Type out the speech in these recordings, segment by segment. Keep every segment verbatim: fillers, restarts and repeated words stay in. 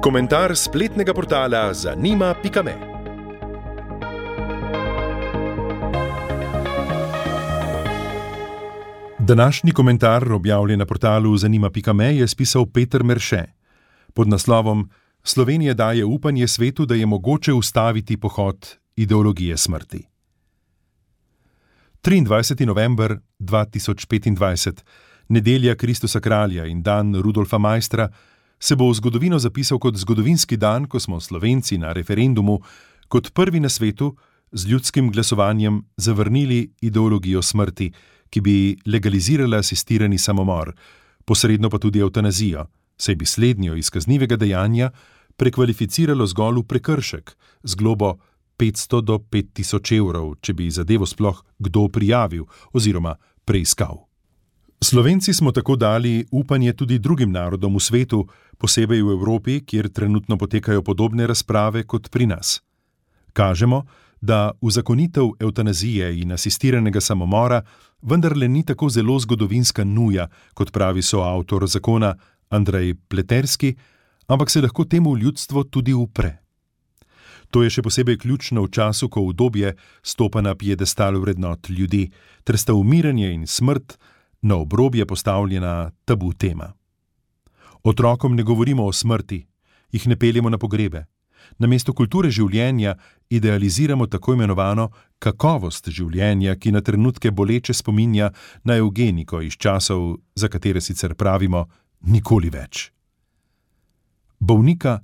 Komentar spletnega portala zanima pika me. Današnji komentar, objavljen na portalu zanima pika me, je spisal Peter Merše pod naslovom Slovenija daje upanje svetu, da je mogoče ustaviti pohod ideologije smrti. triindvajseti november dva tisoč petindvajset, nedelja Kristusa kralja in dan Rudolfa Maistra, se bo v zgodovino zapisal kot zgodovinski dan, ko smo Slovenci na referendumu kot prvi na svetu z ljudskim glasovanjem zavrnili ideologijo smrti, ki bi legalizirala asistirani samomor, posredno pa tudi evtanazijo, saj bi slednjo iz kaznivega dejanja prekvalificiralo zgolj v prekršek z globo petsto do pet tisoč evrov, če bi zadevo sploh kdo prijavil oziroma preiskal. Slovenci smo tako dali upanje tudi drugim narodom v svetu, posebej v Evropi, kjer trenutno potekajo podobne razprave kot pri nas. Kažemo, da uzakonitev evtanazije in asistiranega samomora vendarle ni tako zelo zgodovinska nuja, kot pravi soavtor zakona Andrej Pleterski, ampak se lahko temu ljudstvo tudi upre. To je še posebej ključno v času, ko udobje stopa na piedestal vrednot ljudi, ter sta umiranje in smrt na obrobje postavljena tabu tema. Otrokom ne govorimo o smrti, jih ne peljemo na pogrebe. Namesto kulture življenja idealiziramo tako imenovano kakovost življenja, ki na trenutke boleče spominja na evgeniko iz časov, za katere sicer pravimo nikoli več. Bolnika,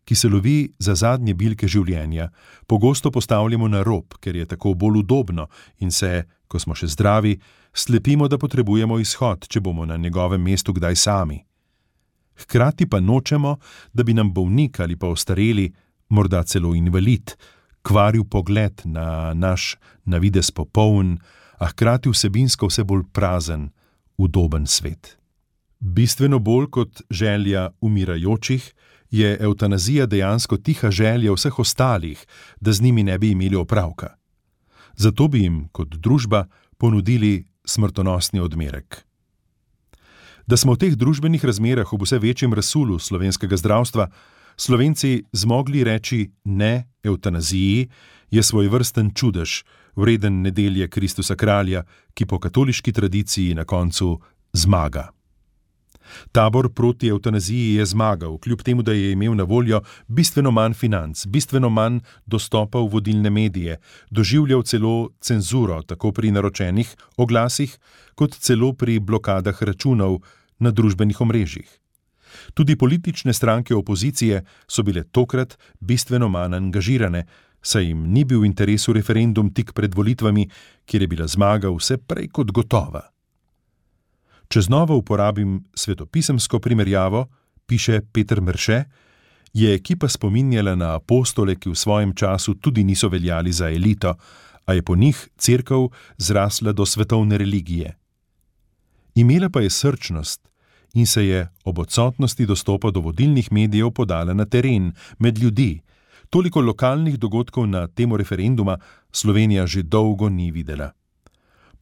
ki se lovi za zadnje bilke življenja, pogosto postavljamo na rob, ker je tako bolj udobno in se, ko smo še zdravi, slepimo, da potrebujemo izhod, če bomo na njegovem mestu kdaj sami. Hkrati pa nočemo, da bi nam bolnik ali pa ostareli, morda celo invalid, kvaril pogled na naš na videz popoln, a hkrati vsebinsko vse bolj prazen, udoben svet. Bistveno bolj kot želja umirajočih je evtanazija dejansko tiha želja vseh ostalih, da z njimi ne bi imeli opravka. Zato bi jim kot družba ponudili smrtonosni odmerek. Da smo v teh družbenih razmerah ob vse večjem razsulu slovenskega zdravstva Slovenci zmogli reči ne evtanaziji, je svojevrsten čudež, vreden nedelje Kristusa kralja, ki po katoliški tradiciji na koncu zmaga. Tabor proti evtanaziji je zmagal, kljub temu, da je imel na voljo bistveno manj financ, bistveno manj dostopa v vodilne medije, doživljal celo cenzuro, tako pri naročenih oglasih, kot celo pri blokadah računov na družbenih omrežjih. Tudi politične stranke opozicije so bile tokrat bistveno manj angažirane, saj jim ni bil v interesu referendum tik pred volitvami, kjer je bila zmaga vse prej kot gotova. Če znova uporabim svetopisemsko primerjavo, piše Peter Merše, je ekipa spominjala na apostole, ki v svojem času tudi niso veljali za elito, a je po njih cerkev zrasla do svetovne religije. Imela pa je srčnost in se je ob odsotnosti dostopa do vodilnih medijev podala na teren, med ljudi. Toliko lokalnih dogodkov na temo referenduma Slovenija že dolgo ni videla.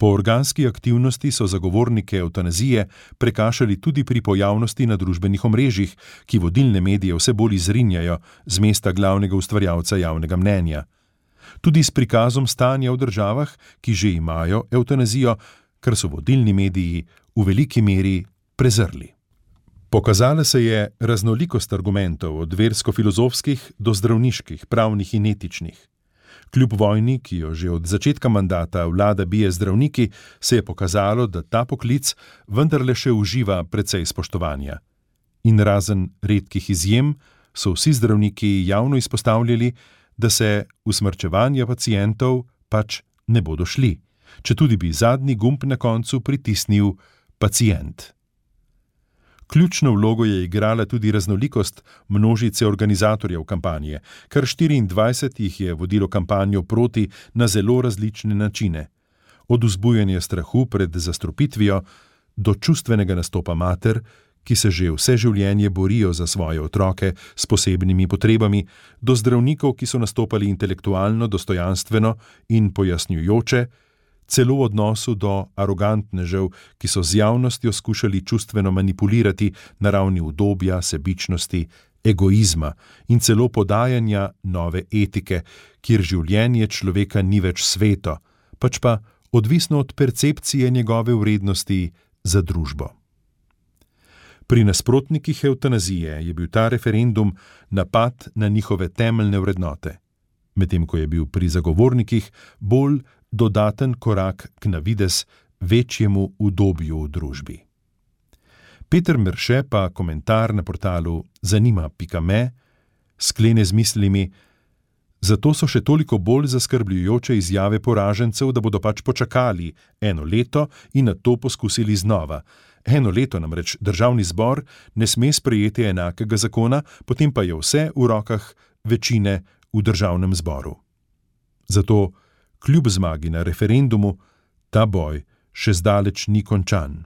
Po organski aktivnosti so zagovornike evtanazije prekašali tudi pri pojavnosti na družbenih omrežjih, ki vodilne medije vse bolj izrinjajo z mesta glavnega ustvarjalca javnega mnenja. Tudi s prikazom stanja v državah, ki že imajo evtanazijo, kar so vodilni mediji v veliki meri prezrli. Pokazala se je raznolikost argumentov od versko-filozofskih do zdravniških, pravnih in etičnih. Kljub vojni, ki jo že od začetka mandata vlada bije zdravniki, se je pokazalo, da ta poklic vendarle še uživa precej spoštovanja. In razen redkih izjem so vsi zdravniki javno izpostavljali, da se usmrčevanja pacientov pač ne bodo šli, četudi bi zadnji gumb na koncu pritisnil pacient. Ključno vlogo je igrala tudi raznolikost množice organizatorjev kampanje, kar štiriindvajset jih je vodilo kampanjo proti na zelo različne načine. Od vzbujanja strahu pred zastrupitvijo do čustvenega nastopa mater, ki se že vse življenje borijo za svoje otroke s posebnimi potrebami, do zdravnikov, ki so nastopali intelektualno, dostojanstveno in pojasnjujoče, celo v odnosu do arogantnežev, ki so z javnostjo skušali čustveno manipulirati na ravni udobja, sebičnosti, egoizma in celo podajanja nove etike, kjer življenje človeka ni več sveto, pač pa odvisno od percepcije njegove vrednosti za družbo. Pri nasprotnikih evtanazije je bil ta referendum napad na njihove temeljne vrednote, medtem ko je bil pri zagovornikih bolj dodaten korak k navidez večjemu udobju v družbi. Peter Merše pa komentar na portalu zanima pika me sklene z mislimi: zato so še toliko bolj zaskrbljujoče izjave poražencev, da bodo pač počakali eno leto in nato poskusili znova. Eno leto namreč državni zbor ne sme sprejeti enakega zakona, potem pa je vse v rokah večine v državnem zboru. Zato, kljub zmagi na referendumu, ta boj še zdaleč ni končan.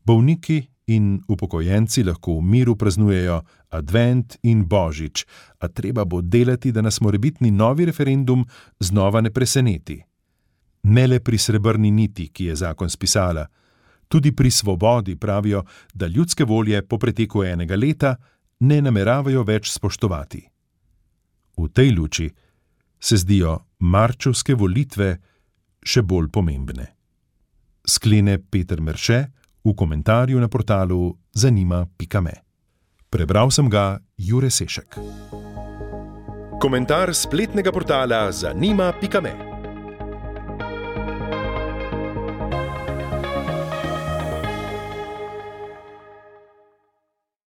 Bolniki in upokojenci lahko v miru praznujejo advent in božič, a treba bo delati, da nas morebitni novi referendum znova ne preseneti. Ne le pri srebrni niti, ki je zakon spisala, tudi pri svobodi pravijo, da ljudske volje po preteku enega leta ne nameravajo več spoštovati. V tej luči se zdijo marčevske volitve še bolj pomembne. Sklene Peter Merše v komentarju na portalu zanima pika me. Prebral sem ga Jure Sešek. Komentar spletnega portala zanima pika me.